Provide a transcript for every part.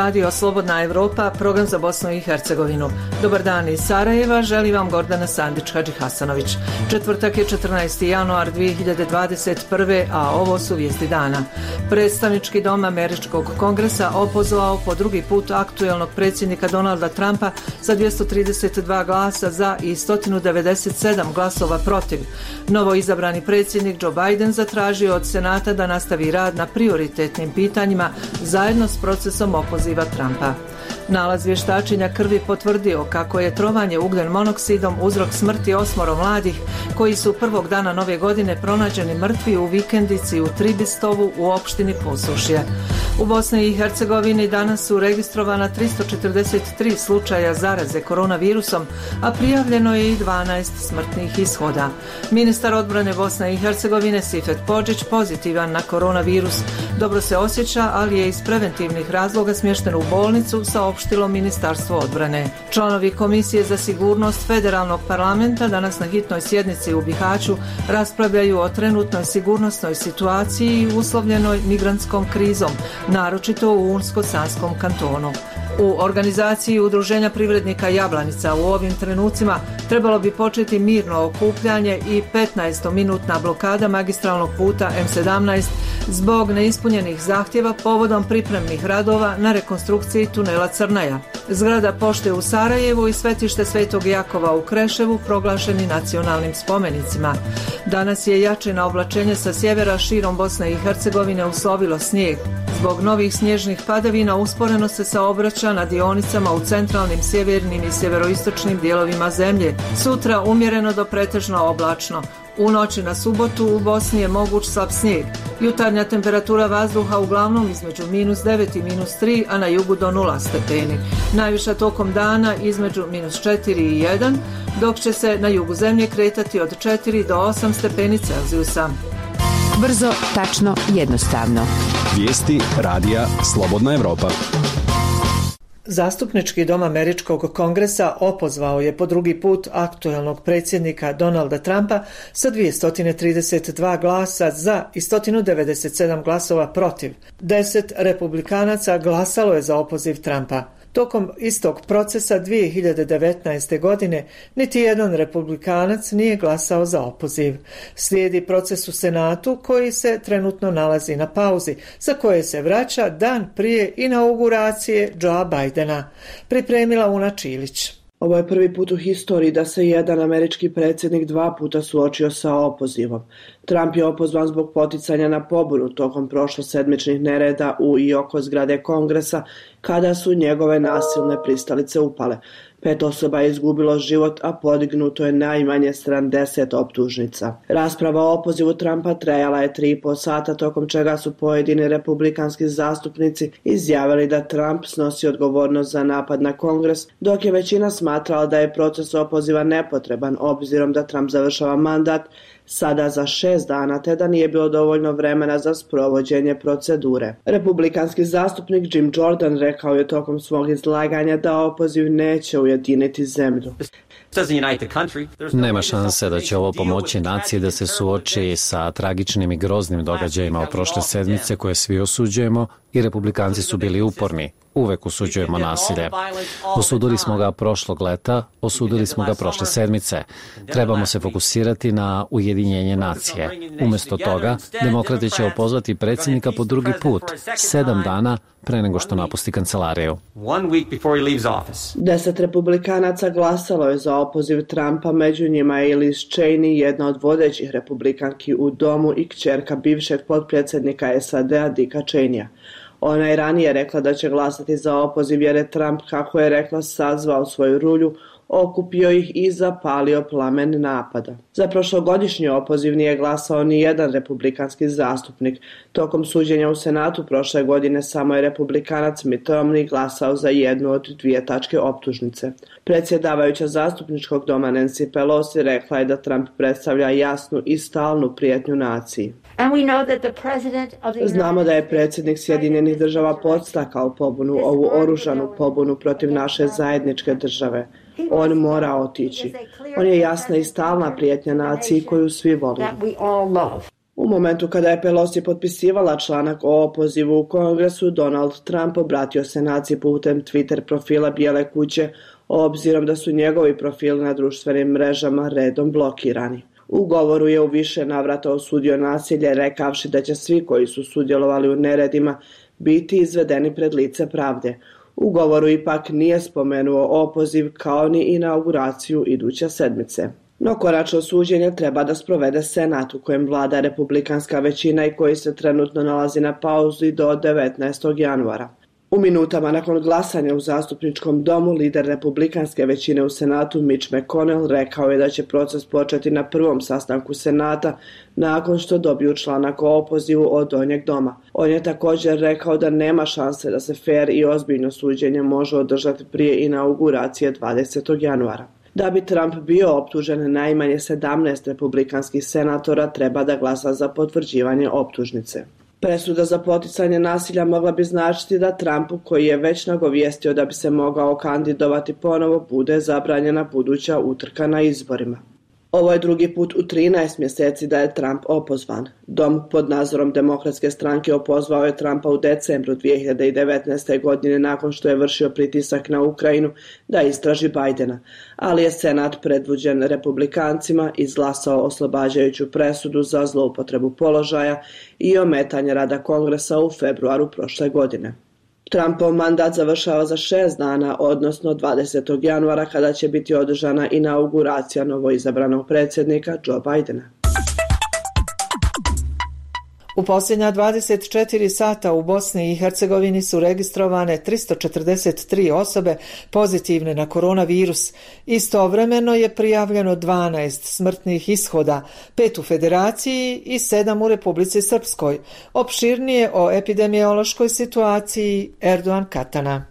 radio Slobodna Evropa, program za Bosnu i Hercegovinu. Dobar dan iz Sarajeva, želi vam Gordana Sandić-Hadžihasanović. Četvrtak je 14. januar 2021. a ovo su vijesti dana. Predstavnički dom Američkog kongresa opozvao po drugi put aktuelnog predsjednika Donalda Trumpa sa 232 glasa za i 197 glasova protiv. Novo izabrani predsjednik Joe Biden zatražio od Senata da nastavi rad na prioritetnim pitanjima zajedno s procesom opoziva Trumpa. Nalaz vještačenja krvi potvrdio kako je trovanje ugljen monoksidom uzrok smrti 8 mladih koji su prvog dana nove godine pronađeni mrtvi u vikendici u Tribistovu u opštini Posušje. U Bosni i Hercegovini danas su registrovana 343 slučaja zaraze koronavirusom, a prijavljeno je i 12 smrtnih ishoda. Ministar odbrane Bosne i Hercegovine Sifet Podžić pozitivan na koronavirus. Dobro se osjeća, ali je iz preventivnih razloga smješten u bolnicu, saopštilo Ministarstvo odbrane. Članovi Komisije za sigurnost Federalnog parlamenta danas na hitnoj sjednici u Bihaću raspravljaju o trenutnoj sigurnosnoj situaciji uslovljenoj migrantskom krizom, naročito u Unsko-Sanskom kantonu. U organizaciji Udruženja privrednika Jablanica u ovim trenucima trebalo bi početi mirno okupljanje i 15-minutna blokada magistralnog puta M17 zbog neispunjenih zahtjeva povodom pripremnih radova na rekonstrukciji tunela Crnaja. Zgrada pošte u Sarajevu i svetište Svetog Jakova u Kreševu proglašeni nacionalnim spomenicima. Danas je jače na oblačenje sa sjevera širom Bosne i Hercegovine uslovilo snijeg. Zbog novih snježnih padavina usporeno se saobraća na dionicama u centralnim, sjevernim i sjeveroistočnim dijelovima zemlje. Sutra umjereno do pretežno oblačno. U noći na subotu u Bosni je moguć slab snijeg. Jutarnja temperatura vazduha uglavnom između -9 i -3, a na jugu do 0 stepeni. Najviša tokom dana između -4 i 1, dok će se na jugu zemlje kretati od 4 do 8 stepeni Celzijusa. Brzo, tačno, jednostavno. Vijesti radija Slobodna Evropa. Zastupnički dom Američkog kongresa opozvao je po drugi put aktuelnog predsjednika Donalda Trumpa sa 232 glasa za i 197 glasova protiv. 10 republikanaca glasalo je za opoziv Trumpa. Tokom istog procesa 2019. godine niti jedan republikanac nije glasao za opoziv. Slijedi proces u Senatu koji se trenutno nalazi na pauzi, za koje se vraća dan prije inauguracije Joea Bidena. Pripremila Una Čilić. Ovo je prvi put u historiji da se jedan američki predsjednik 2 puta suočio sa opozivom. Trump je opozvan zbog poticanja na pobunu tokom prošlosedmičnih nereda u i oko zgrade Kongresa kada su njegove nasilne pristalice upale. 5 osoba je izgubilo život, a podignuto je najmanje 70 optužnica. Rasprava o opozivu Trumpa trajala je 3,5 sata, tokom čega su pojedini republikanski zastupnici izjavili da Trump snosi odgovornost za napad na Kongres, dok je većina smatrala da je proces opoziva nepotreban obzirom da Trump završava mandat sada za 6 dana, te da nije bilo dovoljno vremena za sprovođenje procedure. Republikanski zastupnik Jim Jordan rekao je tokom svog izlaganja da opoziv neće ujediniti zemlju. Nema šanse da će ovo pomoći naciji da se suoči sa tragičnim i groznim događajima od prošle sedmice koje svi osuđujemo i republikanci su bili uporni. Uvek osuđujemo nasilje. Osudili smo ga prošlog leta, osudili smo ga prošle sedmice. Trebamo se fokusirati na ujedinjenje nacije. Umjesto toga, demokrati će opozvati predsjednika po drugi put, 7 dana pre nego što napusti kancelariju. 10 republikanaca glasalo je za opoziv Trumpa, među njima je Liz Cheney, jedna od vodećih republikanki u domu i kćerka bivšeg potpredsjednika SAD-a Dicka Cheneya. Ona je ranije rekla da će glasati za opoziv jer je Trump, kako je rekla, sazvao svoju rulju, okupio ih i zapalio plamen napada. Za prošlogodišnji opoziv nije glasao ni jedan republikanski zastupnik. Tokom suđenja u Senatu prošle godine samo je republikanac Mitt Romney glasao za jednu od 2 tačke optužnice. Predsjedavajuća zastupničkog doma Nancy Pelosi rekla je da Trump predstavlja jasnu i stalnu prijetnju naciji. Znamo da je predsjednik Sjedinjenih država podstakao pobunu, ovu oružanu pobunu protiv naše zajedničke države. On mora otići. On je jasna i stalna prijetnja naciji koju svi volimo. U U momentu kada je Pelosi potpisivala članak o opozivu u Kongresu, Donald Trump obratio se naciji putem Twitter profila Bijele kuće, obzirom da su njegovi profili na društvenim mrežama redom blokirani. U govoru je u više navrata osudio nasilje, rekavši da će svi koji su sudjelovali u neredima biti izvedeni pred lice pravde. U govoru ipak nije spomenuo opoziv kao ni inauguraciju iduće sedmice. No konačno suđenje treba da sprovede Senat u kojem vlada republikanska većina i koji se trenutno nalazi na pauzi do 19. januara. U minutama nakon glasanja u zastupničkom domu, lider republikanske većine u Senatu Mitch McConnell rekao je da će proces početi na prvom sastanku Senata nakon što dobiju članak o opozivu od donjeg doma. On je također rekao da nema šanse da se fer i ozbiljno suđenje može održati prije inauguracije 20. januara. Da bi Trump bio optužen, najmanje 17 republikanskih senatora treba da glasa za potvrđivanje optužnice. Presuda za poticanje nasilja mogla bi značiti da Trumpu, koji je već nagovijestio da bi se mogao kandidovati ponovo, bude zabranjena buduća utrka na izborima. Ovo je drugi put u 13 mjeseci da je Trump opozvan. Dom pod nadzorom Demokratske stranke opozvao je Trumpa u decembru 2019. godine nakon što je vršio pritisak na Ukrajinu da istraži Bidena, ali je Senat predvođen republikancima izglasao oslobađajuću presudu za zloupotrebu položaja i ometanje rada Kongresa u februaru prošle godine. Trumpov mandat završava za 6 dana, odnosno 20. januara kada će biti održana inauguracija novoizabranog predsjednika Joe Bidena. U posljednja 24 sata u Bosni i Hercegovini su registrovane 343 osobe pozitivne na koronavirus. Istovremeno je prijavljeno 12 smrtnih ishoda, 5 u Federaciji i 7 u Republici Srpskoj. Opširnije o epidemiološkoj situaciji Erdogan Katana.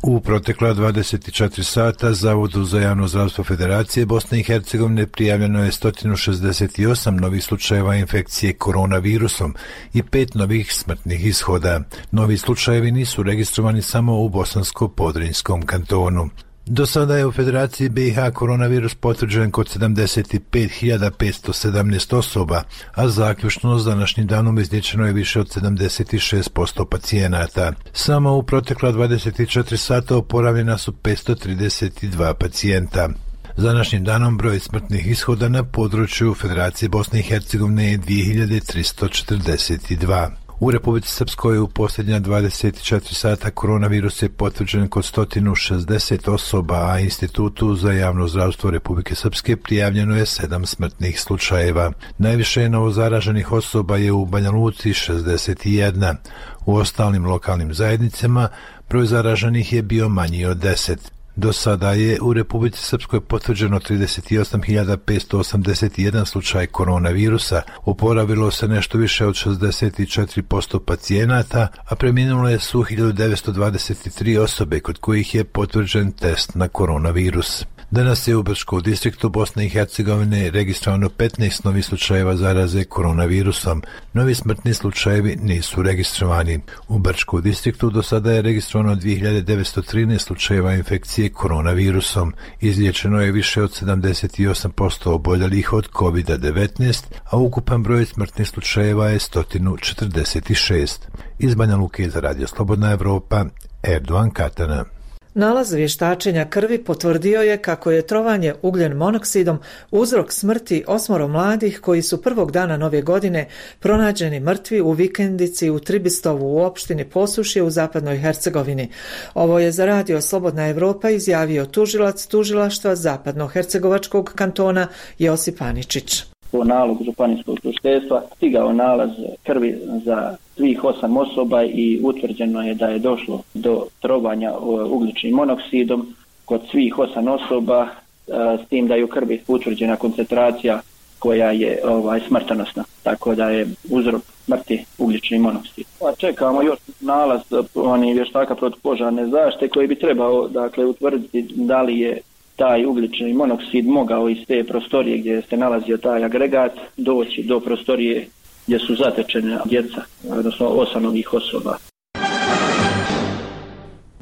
U protekla 24 sata Zavodu za javno zdravstvo Federacije Bosne i Hercegovine prijavljeno je 168 novih slučajeva infekcije koronavirusom i 5 novih smrtnih ishoda. Novi slučajevi nisu registrovani samo u Bosansko-Podrinjskom kantonu. Do sada je u Federaciji BiH koronavirus potvrđen kod 75.517 osoba, a zaključno s današnjim danom izliječeno je više od 76% pacijenata. Samo u protekla 24 sata oporavljena su 532 pacijenta. S današnjim danom broj smrtnih ishoda na području Federacije Bosne i Hercegovine je 2342. U Republici Srpskoj u posljednja 24 sata koronavirus je potvrđen kod 160 osoba, a Institutu za javno zdravstvo Republike Srpske prijavljeno je 7 smrtnih slučajeva. Najviše novozaraženih osoba je u Banja Luci 61. U ostalim lokalnim zajednicama broj zaraženih je bio manji od 10. Do sada je u Republici Srpskoj potvrđeno 38.581 slučaj koronavirusa, oporavilo se nešto više od 64% pacijenata, a preminule su 1923 osobe kod kojih je potvrđen test na koronavirus. Danas je u Brčkom distriktu Bosne i Hercegovine registrovano 15 novih slučajeva zaraze koronavirusom. Novi smrtni slučajevi nisu registrovani. U Brčkom distriktu do sada je registrovano 2913 slučajeva infekcije koronavirusom. Izliječeno je više od 78% oboljelih od COVID-19, a ukupan broj smrtnih slučajeva je 146. Iz Banja Luke za Radio Slobodna Evropa, Erdogan Katana. Nalaz vještačenja krvi potvrdio je kako je trovanje ugljen monoksidom uzrok smrti 8 mladih koji su prvog dana nove godine pronađeni mrtvi u vikendici u Tribistovu u opštini Posušje u zapadnoj Hercegovini. Ovo je za Radio Slobodna Evropa izjavio tužilac tužilaštva zapadno-hercegovačkog kantona Josip Aničić. Po nalogu županijskog tužiteljstva stigao nalaz krvi za svih 8 osoba i utvrđeno je da je došlo do trovanja ugljičnim monoksidom kod svih 8 osoba, s tim da je u krvi utvrđena koncentracija koja je smrtonosna, tako da je uzrok smrti ugljični monoksid. Čekamo još nalaz vještaka protupožarne zaštite koji bi trebao utvrditi da li je taj ugljični monoksid mogao iz te prostorije gdje se nalazio taj agregat doći do prostorije gdje su zatečene djeca, odnosno 8 novih osoba.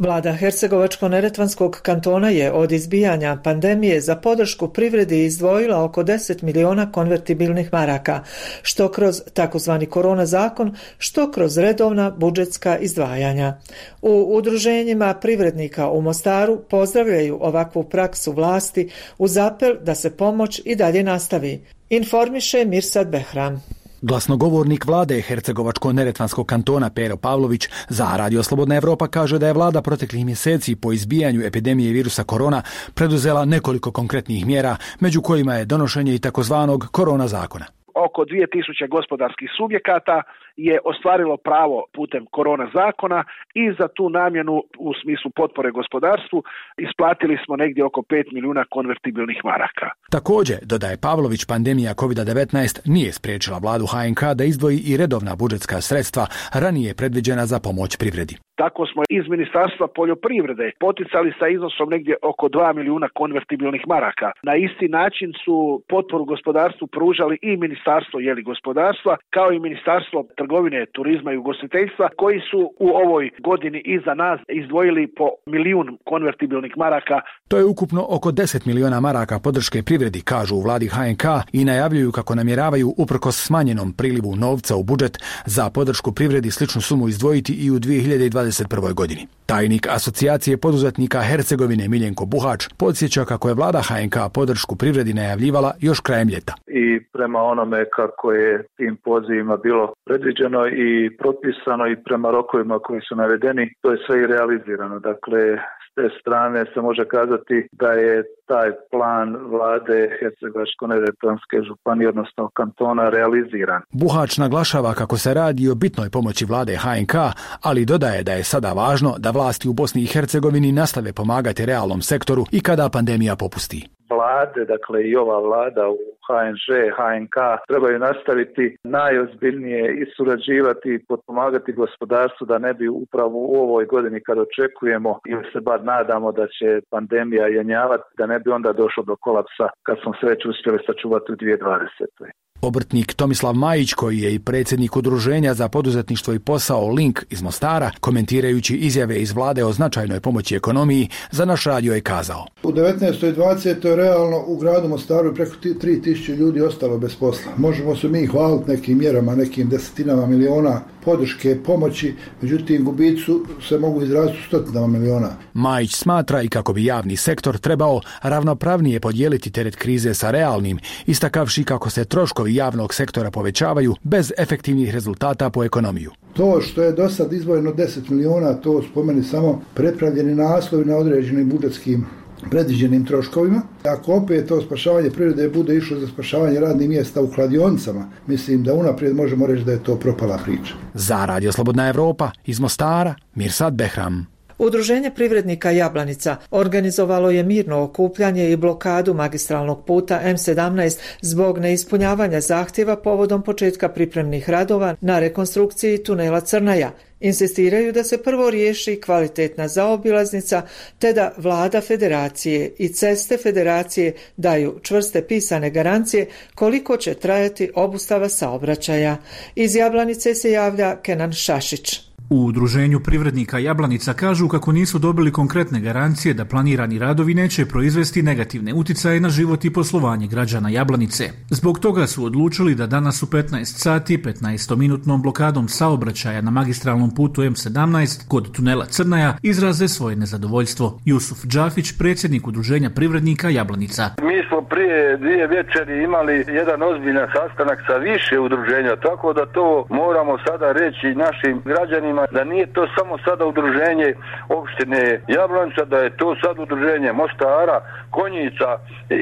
Vlada Hercegovačko-neretvanskog kantona je od izbijanja pandemije za podršku privredi izdvojila oko 10 miliona konvertibilnih maraka, što kroz takozvani korona zakon, što kroz redovna budžetska izdvajanja. U udruženjima privrednika u Mostaru pozdravljaju ovakvu praksu vlasti uz apel da se pomoć i dalje nastavi, informiše Mirsad Behram. Glasnogovornik vlade Hercegovačko-neretvanskog kantona Pero Pavlović za Radio Slobodna Evropa kaže da je vlada proteklih mjeseci po izbijanju epidemije virusa korona preduzela nekoliko konkretnih mjera, među kojima je donošenje i takozvanog korona zakona. Oko 2000 gospodarskih subjekata je ostvarilo pravo putem korona zakona i za tu namjenu u smislu potpore gospodarstvu isplatili smo negdje oko 5 milijuna konvertibilnih maraka. Također, dodaje Pavlović, pandemija COVID-19 nije spriječila vladu HNK da izdvoji i redovna budžetska sredstva ranije predviđena za pomoć privredi. Tako smo iz Ministarstva poljoprivrede poticali sa iznosom negdje oko 2 milijuna konvertibilnih maraka. Na isti način su potporu gospodarstvu pružali i Ministarstvo gospodarstva kao i Ministarstvo trgovine, turizma i ugostiteljstva koji su u ovoj godini iza nas izdvojili po 1 milijun konvertibilnih maraka. To je ukupno oko 10 miliona maraka podrške privredi, kažu u vladi HNK i najavljuju kako namjeravaju uprkos smanjenom prilivu novca u budžet za podršku privredi sličnu sumu izdvojiti i u 2021. godini. Tajnik Asocijacije poduzetnika Hercegovine Miljenko Buhač podsjeća kako je vlada HNK podršku privredi najavljivala još krajem ljeta. I prema onome kako je tim pozivima bilo predviđeno i propisano i prema rokovima koji su navedeni, to je sve i realizirano. Dakle, s te strane se može kazati da je taj plan vlade Hercegovačko-neretvanske županije, odnosno kantona, realiziran. Buhač naglašava kako se radi o bitnoj pomoći vlade HNK, ali dodaje da je sada važno da vlasti u Bosni i Hercegovini nastave pomagati realnom sektoru i kada pandemija popusti. Vlade, dakle i ova vlada u HNŽ, HNK trebaju nastaviti najozbiljnije i surađivati i potpomagati gospodarstvu da ne bi upravo u ovoj godini kad očekujemo ili se bar nadamo da će pandemija jenjavati, da ne bi onda došlo do kolapsa kad smo se već uspjeli sačuvati u 2020. Obrtnik Tomislav Majić, koji je i predsjednik udruženja za poduzetništvo i posao Link iz Mostara, komentirajući izjave iz vlade o značajnoj pomoći ekonomiji, za naš radio je kazao: U 19. i 20. realno u gradu Mostaru je preko 3000 ljudi ostalo bez posla. Možemo se mi hvaliti nekim mjerama, nekim desetinama miliona podrške, pomoći, međutim gubici se mogu izraziti u stotinama miliona. Majić smatra i kako bi javni sektor trebao ravnopravnije podijeliti teret krize sa realnim, istakavši kako se troškovi javnog sektora povećavaju bez efektivnih rezultata po ekonomiju. To što je do sad izdvojeno 10 miliona, to spomeni samo prepravljeni naslovi na određenim budžetskim predviđenim troškovima. Ako opet to spašavanje privrede bude išlo za spašavanje radnih mjesta u kladionicama, mislim da unaprijed možemo reći da je to propala priča. Za Radio Slobodna Evropa iz Mostara, Mirsad Behram. Udruženje privrednika Jablanica organizovalo je mirno okupljanje i blokadu magistralnog puta M17 zbog neispunjavanja zahtjeva povodom početka pripremnih radova na rekonstrukciji tunela Crnaja. Insistiraju da se prvo riješi kvalitetna zaobilaznica, te da vlada federacije i ceste federacije daju čvrste pisane garancije koliko će trajati obustava saobraćaja. Iz Jablanice se javlja Kenan Šašić. U udruženju privrednika Jablanica kažu kako nisu dobili konkretne garancije da planirani radovi neće proizvesti negativne uticaje na život i poslovanje građana Jablanice. Zbog toga su odlučili da danas u 15 sati 15-minutnom blokadom saobraćaja na magistralnom putu M17 kod tunela Crnaja izraze svoje nezadovoljstvo. Jusuf Džafić, predsjednik udruženja privrednika Jablanica. Mi smo prije 2 večeri imali jedan ozbiljan sastanak sa više udruženja, tako da to moramo sada reći našim građanima da nije to samo sada udruženje opštine Jablanica, da je to sad udruženje Mostara, Konjica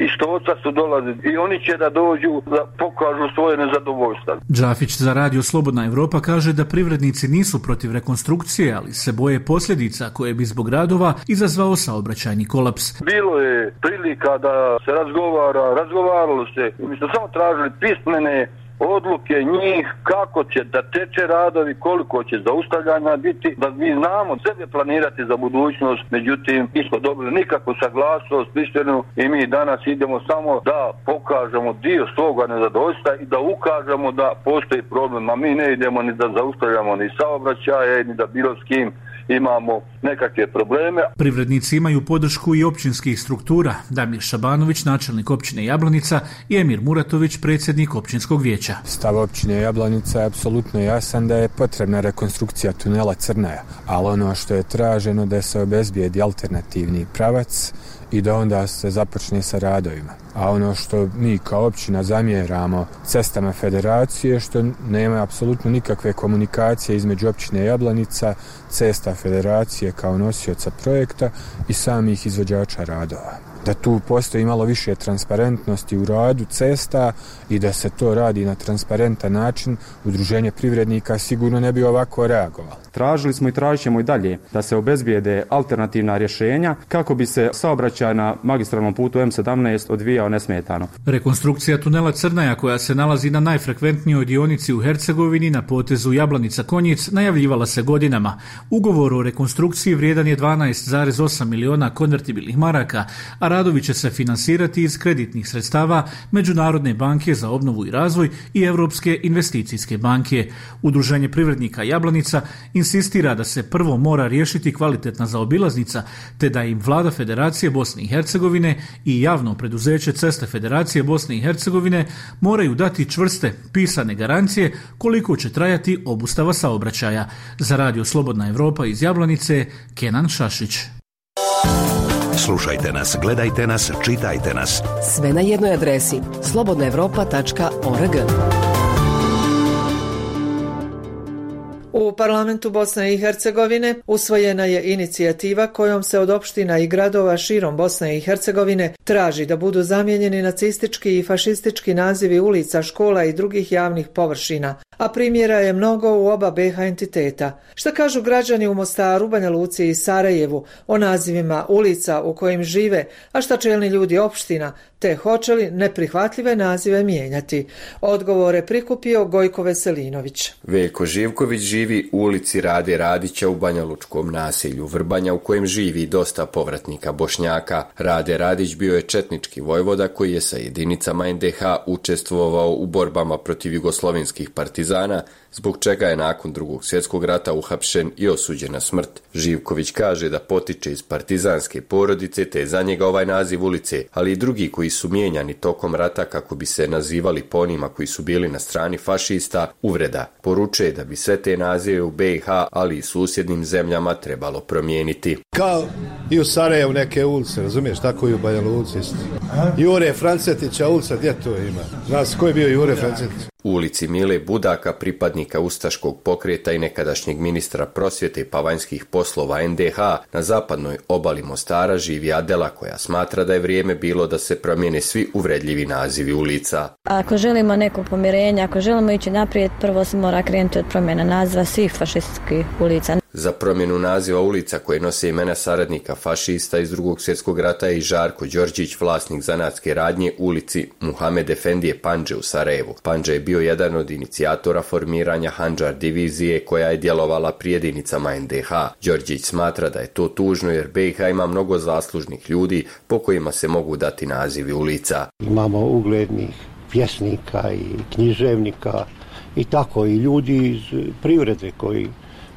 i Štoca su dolazili i oni će da dođu da pokažu svoje nezadovoljstvo. Džafić za Radio Slobodna Evropa kaže da privrednici nisu protiv rekonstrukcije, ali se boje posljedica koje bi zbog radova izazvao saobraćajni kolaps. Bilo je prilika da se razgovaralo se, mi smo samo tražili pismene odluke njih, kako će da teče radovi, koliko će zaustavljanja biti, da mi znamo sebe planirati za budućnost, međutim nismo dobili nikakvu saglasnost pismenu i mi danas idemo samo da pokažemo dio svoga nezadovoljstva i da ukažemo da postoji problem, a mi ne idemo ni da zaustavljamo ni saobraćaje, ni da bilo s kim imamo nekakve probleme. Privrednici imaju podršku i općinskih struktura. Damir Šabanović, načelnik općine Jablanica, i Emir Muratović, predsjednik općinskog vijeća. Stav općine Jablanica je apsolutno jasan da je potrebna rekonstrukcija tunela Crnaja, ali ono što je traženo da se obezbijedi alternativni pravac i da onda se započne sa radovima. A ono što mi kao općina zamjeramo cestama federacije, što nema apsolutno nikakve komunikacije između općine Jablanica, cesta federacije kao nosioca projekta i samih izvođača radova. Da tu postoji malo više transparentnosti u radu cesta i da se to radi na transparentan način, Udruženje privrednika sigurno ne bi ovako reagovalo. Tražili smo i tražit ćemo i dalje da se obezbijede alternativna rješenja kako bi se saobraćaj na magistralnom putu M17 odvijao nesmetano. Rekonstrukcija tunela Crnaja, koja se nalazi na najfrekventnijoj dionici u Hercegovini na potezu Jablanica-Konjic, najavljivala se godinama. Ugovor o rekonstrukciji vrijedan je 12,8 miliona konvertibilnih maraka, a radovi će se finansirati iz kreditnih sredstava Međunarodne banke za obnovu i razvoj i Europske investicijske banke. Udruženje privrednika Jablanica insistira da se prvo mora riješiti kvalitetna zaobilaznica, te da im Vlada Federacije Bosne i Hercegovine i javno preduzeće Ceste Federacije Bosne i Hercegovine moraju dati čvrste pisane garancije koliko će trajati obustava saobraćaja. Za Radio Slobodna Evropa iz Jablanice, Kenan Šašić. Slušajte nas, gledajte nas, čitajte nas. Sve na jednoj adresi slobodnaevropa.org. U parlamentu Bosne i Hercegovine usvojena je inicijativa kojom se od opština i gradova širom Bosne i Hercegovine traži da budu zamijenjeni nacistički i fašistički nazivi ulica, škola i drugih javnih površina, a primjera je mnogo u oba BiH entiteta. Šta kažu građani u Mostaru, Banja Luci i Sarajevu o nazivima ulica u kojim žive, a šta čelni ljudi opština, te hoće li neprihvatljive nazive mijenjati? Odgovore prikupio Gojko Veselinović. Veljko Živković živi u ulici Rade Radića u Banja Lučkom naselju Vrbanja, u kojem živi dosta povratnika Bošnjaka. Rade Radić bio je četnički vojvoda koji je sa jedinicama NDH učestvovao u borbama protiv jugoslovenskih partizana, zbog čega je nakon Drugog svjetskog rata uhapšen i osuđen na smrt. Živković kaže da potiče iz partizanske porodice, te je za njega ovaj naziv ulice, ali i drugi koji su mijenjani tokom rata kako bi se nazivali po onima koji su bili na strani fašista, uvreda. Poručuje da bi sve te nazive u BiH, ali i susjednim zemljama trebalo promijeniti. Kao i u Sarajevu neke ulice, razumiješ, tako i u Banja Luci. Jure Francetića ulica, gdje to ima? Znaš ko je bio Jure Francetić? U ulici Mile Budaka, pripadnika ustaškog pokreta i nekadašnjeg ministra prosvjete pa vanjskih poslova NDH, na zapadnoj obali Mostara živi Adela, koja smatra da je vrijeme bilo da se promijene svi uvredljivi nazivi ulica. Ako želimo neko pomirenje, ako želimo ići naprijed, prvo se mora krenuti od promjena naziva svih fašističkih ulica. Za promjenu naziva ulica koje nose imena saradnika fašista iz Drugog svjetskog rata je i Žarko Đorđić, vlasnik zanatske radnje ulici Muhamed Efendije Pandže u Sarajevu. Pandže je bio jedan od inicijatora formiranja Handžar divizije koja je djelovala pri jedinicama NDH. Đorđić smatra da je to tužno jer BiH ima mnogo zaslužnih ljudi po kojima se mogu dati nazivi ulica. Imamo uglednih pjesnika i književnika i tako i ljudi iz privrede koji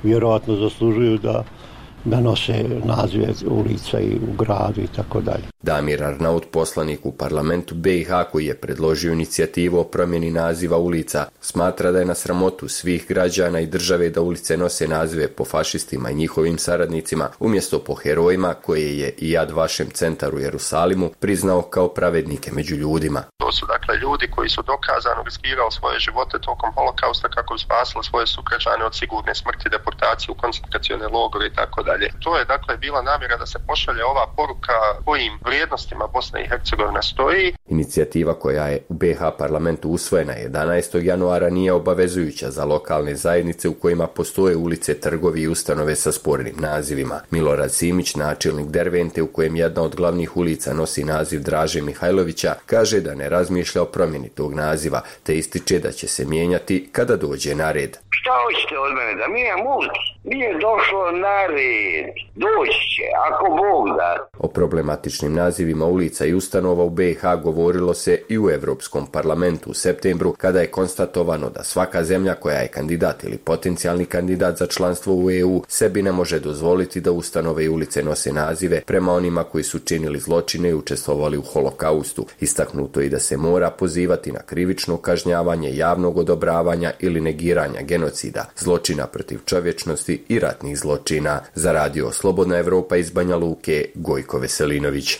vjerojatno zaslužuju da nose nazive ulica i u gradu i tako dalje. Damir Arnaut, poslanik u parlamentu BiH koji je predložio inicijativu o promjeni naziva ulica, smatra da je na sramotu svih građana i države da ulice nose nazive po fašistima i njihovim saradnicima, umjesto po herojima koje je i Yad Vashem centar u Jerusalimu priznao kao pravednike među ljudima. To su dakle ljudi koji su dokazano riskirali svoje živote tokom holokausta kako bi spasili svoje sugrađane od sigurne smrti, deportacije u koncentracione logore i tako dalje. To je dakle bila namjera da se pošalje ova poruka kojim vrijednostima Bosna i Hercegovina stoji. Inicijativa koja je u BiH parlamentu usvojena 11. januara nije obavezujuća za lokalne zajednice u kojima postoje ulice, trgovi i ustanove sa spornim nazivima. Milorad Simić, načelnik Dervente u kojem jedna od glavnih ulica nosi naziv Draže Mihajlovića, kaže da ne razmišlja o promjeni tog naziva, te ističe da će se mijenjati kada dođe na red. Šta hoćete od mene, da mijenjam ulicu? Nije došlo na red, doći će, ako Bog da. O problematičnim nazivima ulica i ustanova u BiH govorilo se i u Europskom parlamentu u septembru, kada je konstatovano da svaka zemlja koja je kandidat ili potencijalni kandidat za članstvo u EU sebi ne može dozvoliti da ustanove i ulice nose nazive prema onima koji su činili zločine i učestvovali u holokaustu. Istaknuto i da se mora pozivati na krivično kažnjavanje, javnog odobravanja ili negiranja genocida, zločina protiv čovječnosti i ratnih zločina. Za radio Slobodna Evropa iz Banja Luke, Gojko Veselinović.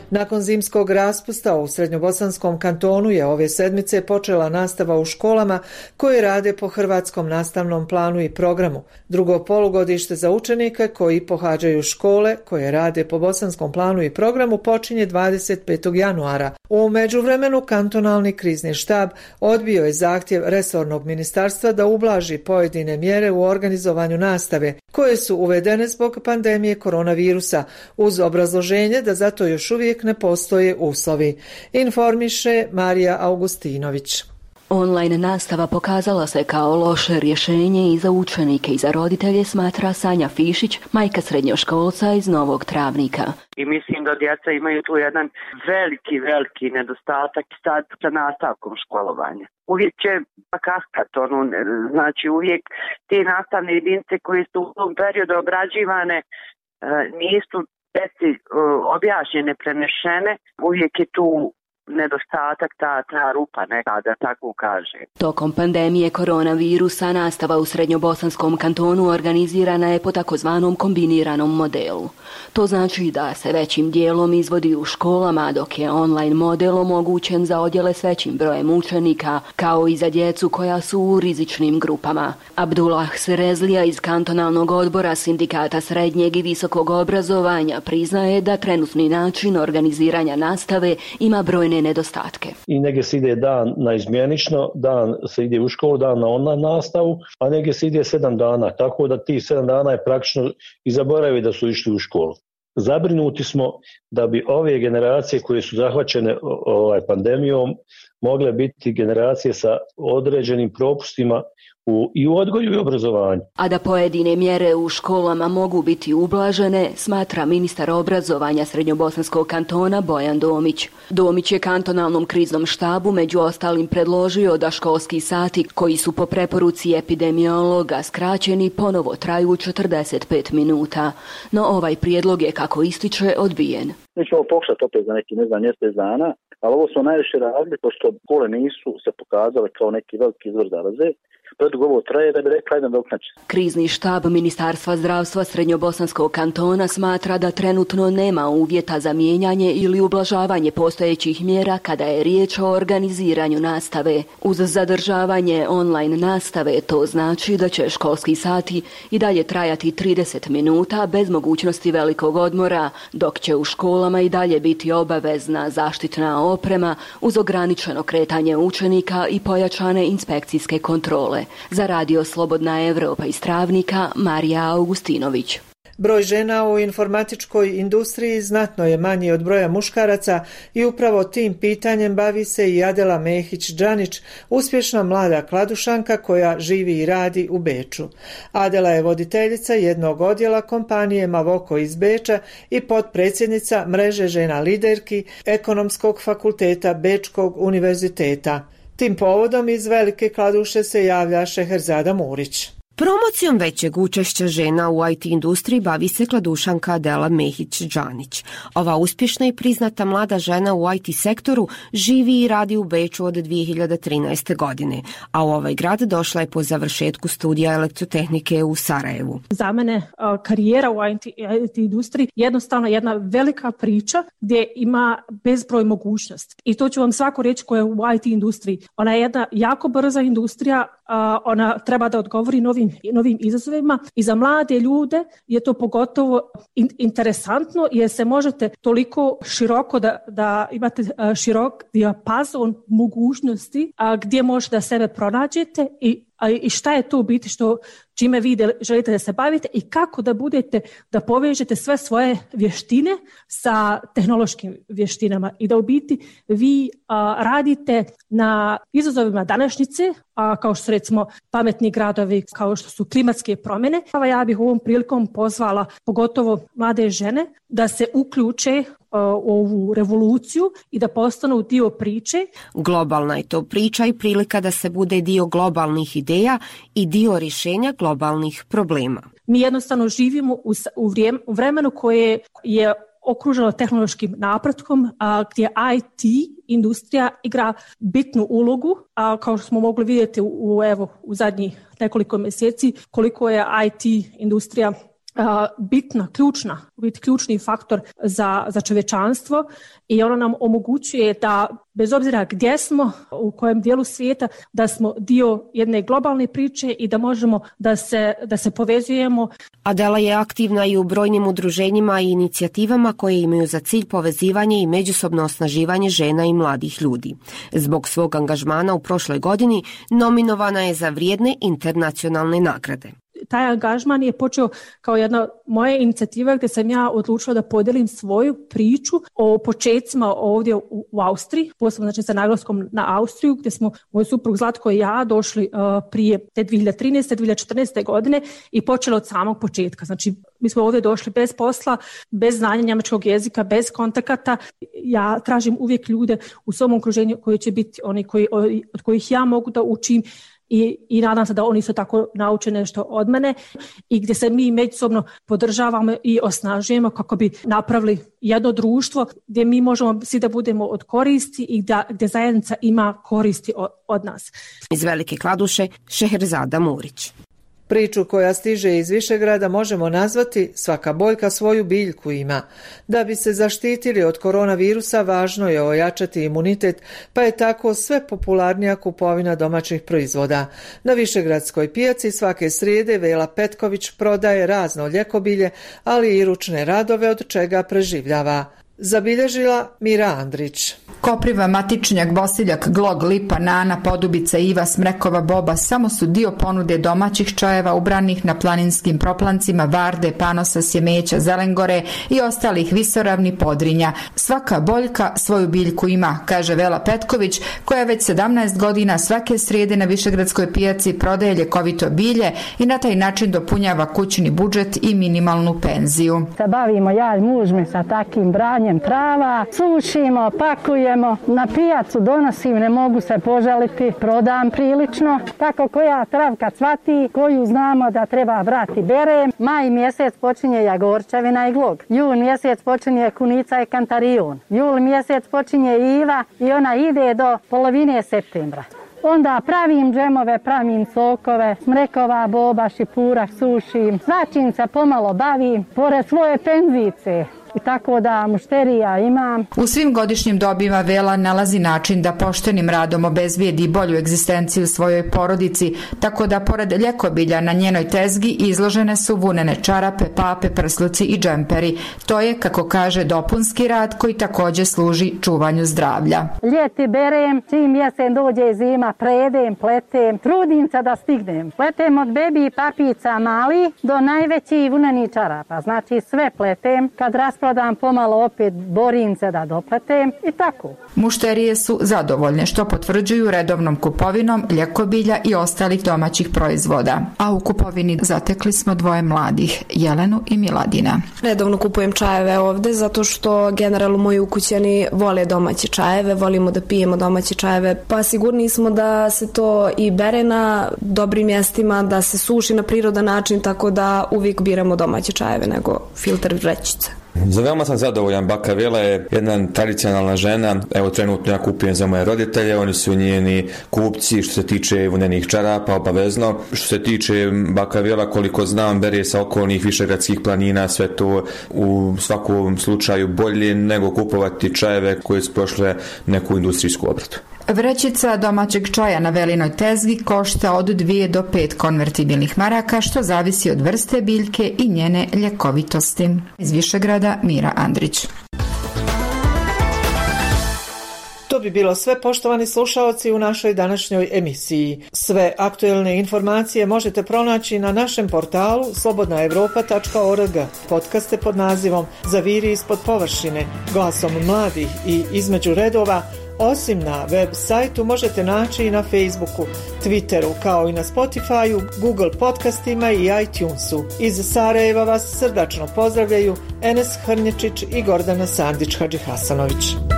Nakon zimskog raspusta u Srednjobosanskom kantonu je ove sedmice počela nastava u školama koje rade po hrvatskom nastavnom planu i programu. Drugo polugodište za učenike koji pohađaju škole koje rade po bosanskom planu i programu počinje 25. januara. U međuvremenu kantonalni krizni štab odbio je zahtjev resornog ministarstva da ublaži pojedine mjere u organizovanju nastave koje su uvedene zbog pandemije koronavirusa uz obrazloženje da zato još uvijek ne postoje uslovi. Informiše Marija Augustinović. Online nastava pokazala se kao loše rješenje i za učenike i za roditelje, smatra Sanja Fišić, majka srednjoškolca iz Novog Travnika. I mislim da djeca imaju tu jedan veliki nedostatak sad sa nastavkom školovanja. Uvijek će kaskat, znači uvijek te nastavne jedinice koje su u tom periodu obrađivane nisu djeci objašnjene, prenešene, uvijek je tu nedostatak, ta rupa neka, da tako kaže. Tokom pandemije koronavirusa nastava u Srednjobosanskom kantonu organizirana je po takozvanom kombiniranom modelu. To znači da se većim dijelom izvodi u školama, dok je online model omogućen za odjele s većim brojem učenika, kao i za djecu koja su u rizičnim grupama. Abdullah Serezlija iz kantonalnog odbora Sindikata srednjeg i visokog obrazovanja priznaje da trenutni način organiziranja nastave ima brojne nedostatke. I negdje se ide dan na izmjenično, dan se ide u školu, dan na online nastavu, a negdje se ide 7 dana, tako da tih 7 dana je praktično i zaboravi da su išli u školu. Zabrinuti smo da bi ove generacije koje su zahvaćene pandemijom mogle biti generacije sa određenim propustima i u odgoju i obrazovanju. A da pojedine mjere u školama mogu biti ublažene, smatra ministar obrazovanja Srednjobosanskog kantona Bojan Domić. Domić je kantonalnom kriznom štabu među ostalim predložio da školski sati koji su po preporuci epidemiologa skraćeni ponovo traju 45 minuta. No ovaj prijedlog je, kako ističe, odbijen. Mi ćemo pokušati opet za neki mjesec dana, ali ovo smo najviše radili pošto škole nisu se pokazale kao neki veliki izvor zaraze. Predugo ovo traje da bi rekla jedan doknači. Krizni štab Ministarstva zdravstva Srednjobosanskog kantona smatra da trenutno nema uvjeta za mijenjanje ili ublažavanje postojećih mjera kada je riječ o organiziranju nastave. Uz zadržavanje online nastave to znači da će školski sati i dalje trajati 30 minuta bez mogućnosti velikog odmora, dok će u školama i dalje biti obavezna zaštitna oprema uz ograničeno kretanje učenika i pojačane inspekcijske kontrole. Za radio Slobodna Evropa iz Travnika, Marija Augustinović. Broj žena u informatičkoj industriji znatno je manji od broja muškaraca i upravo tim pitanjem bavi se i Adela Mehić-Đanić, uspješna mlada kladušanka koja živi i radi u Beču. Adela je voditeljica jednog odjela kompanije Mavoko iz Beča i potpredsjednica mreže žena liderki Ekonomskog fakulteta Bečkog univerziteta. Tim povodom iz Velike Kladuše se javlja Šeherzada Murić. Promocijom većeg učešća žena u IT industriji bavi se kladušanka Adela Mehić-Đanić. Ova uspješna i priznata mlada žena u IT sektoru živi i radi u Beču od 2013. godine, a u ovaj grad došla je po završetku studija elektrotehnike u Sarajevu. Za mene karijera u IT industriji jednostavno jedna velika priča gdje ima bezbroj mogućnosti. I to ću vam svako reći koja je u IT industriji. Ona je jedna jako brza industrija, ona treba da odgovori novim izazovima i za mlade ljude je to pogotovo interesantno jer se možete toliko široko da imate širok dijapazon mogućnosti gdje možete da sebe pronađete i i šta je to u biti čime vi želite da se bavite i kako da povežete sve svoje vještine sa tehnološkim vještinama i da u biti vi radite na izazovima današnjice, kao što su recimo pametni gradovi, kao što su klimatske promjene. Ja bih ovom prilikom pozvala pogotovo mlade žene da se uključe u ovu revoluciju i da postanu dio priče. Globalna je to priča i prilika da se bude dio globalnih ideja i dio rješenja globalnih problema. Mi jednostavno živimo u vremenu koje je okruženo tehnološkim napretkom, gdje IT industrija igra bitnu ulogu, kao što smo mogli vidjeti u zadnjih nekoliko mjeseci koliko je IT industrija bitna, ključni faktor za čovječanstvo i ono nam omogućuje da bez obzira gdje smo, u kojem dijelu svijeta, da smo dio jedne globalne priče i da možemo da se povezujemo. Adela je aktivna i u brojnim udruženjima i inicijativama koje imaju za cilj povezivanje i međusobno osnaživanje žena i mladih ljudi. Zbog svog angažmana u prošloj godini nominovana je za vrijedne internacionalne nagrade. Taj angažman je počeo kao jedna moja inicijativa gdje sam ja odlučila da podijelim svoju priču o počecima ovdje u Austriji, posebno znači sa naglaskom na Austriju, gdje smo moj suprug Zlatko i ja došli prije te 2013. 2014. godine i počeli od samog početka. Znači mi smo ovdje došli bez posla, bez znanja njemačkog jezika, bez kontakata. Ja tražim uvijek ljude u svom okruženju koji će biti oni od kojih ja mogu da učim i nadam se da oni su tako nauče nešto od mene i gdje se mi međusobno podržavamo i osnažujemo kako bi napravili jedno društvo gdje mi možemo svi da budemo od koristi i gdje zajednica ima koristi od nas. Iz Velike Kladuše, Šeherzada Murić. Priču koja stiže iz Višegrada možemo nazvati svaka boljka svoju biljku ima. Da bi se zaštitili od koronavirusa važno je ojačati imunitet, pa je tako sve popularnija kupovina domaćih proizvoda. Na Višegradskoj pijaci svake srijede Vela Petković prodaje razno ljekobilje, ali i ručne radove od čega preživljava. Zabilježila Mira Andrić. Kopriva, matičnjak, bosiljak, glog, lipa, nana, podubica, iva, smrekova, boba samo su dio ponude domaćih čajeva ubranih na planinskim proplancima Varde, Panosa, Sjemeća, Zelengore i ostalih visoravni Podrinja. Svaka boljka svoju biljku ima, kaže Vela Petković, koja već 17 godina svake srijede na Višegradskoj pijaci prodaje ljekovito bilje i na taj način dopunjava kućni budžet i minimalnu penziju. Se bavimo ja i muž mi sa takim branjem trava, sušimo, pakujemo, na pijacu donosim, ne mogu se požaliti, prodam prilično. Tako koja travka cvati, koju znamo da treba brati berem. Maj mjesec počinje jagorčevina i glog. Jun mjesec počinje kunica i kantarion. Jul mjesec počinje iva i ona ide do polovine septembra. Onda pravim džemove, pravim sokove, smrekova, boba, šipura, sušim. Svačim se pomalo bavim, pored svoje penzice. I tako da mušterija imam. U svim godišnjim dobima Vela nalazi način da poštenim radom obezbijedi bolju egzistenciju svojoj porodici, tako da pored ljekobilja na njenoj tezgi izložene su vunene čarape, pape, prsluci i džemperi. To je, kako kaže, dopunski rad koji također služi čuvanju zdravlja. Ljeti berem, čim jesen dođe zima, predem, pletem, trudim se da stignem. Pletem od bebi papica mali do najvećih vunenih čarapa, znači sve pletem. Kad rasprodam pomalo opet borim se da dopletem i tako. Mušterije su zadovoljne što potvrđuju redovnom kupovinom ljekobilja i ostalih domaćih proizvoda. A u kupovini zatekli smo dvoje mladih, Jelenu i Miladina. Redovno kupujem čajeve ovdje zato što generalno moji ukućani vole domaće čajeve, volimo da pijemo domaće čajeve, pa sigurni smo da se to i bere na dobrim mjestima, da se suši na prirodan način, tako da uvijek biramo domaće čajeve nego filter vrećice. Za veoma sam zadovoljan. Baka Vela je jedna tradicionalna žena. Evo trenutno ja kupujem za moje roditelje, oni su njeni kupci što se tiče vunenih čarapa, obavezno. Što se tiče Baka Vela, koliko znam, bere sa okolnih višegradskih planina, sve to u svakom slučaju bolje nego kupovati čajeve koje su prošle neku industrijsku obradu. Vrećica domaćeg čaja na Velinoj tezgi košta od 2 do 5 konvertibilnih maraka, što zavisi od vrste biljke i njene ljekovitosti. Iz Višegrada, Mira Andrić. To bi bilo sve, poštovani slušaoci, u našoj današnjoj emisiji. Sve aktuelne informacije možete pronaći na našem portalu slobodnaevropa.org. Podcaste pod nazivom Zaviri ispod površine, glasom mladih i između redova, osim na web sajtu, možete naći i na Facebooku, Twitteru, kao i na Spotifyu, Google podcastima i iTunesu. Iz Sarajeva vas srdačno pozdravljaju Enes Hrnječić i Gordana Sandić Hadžihasanović.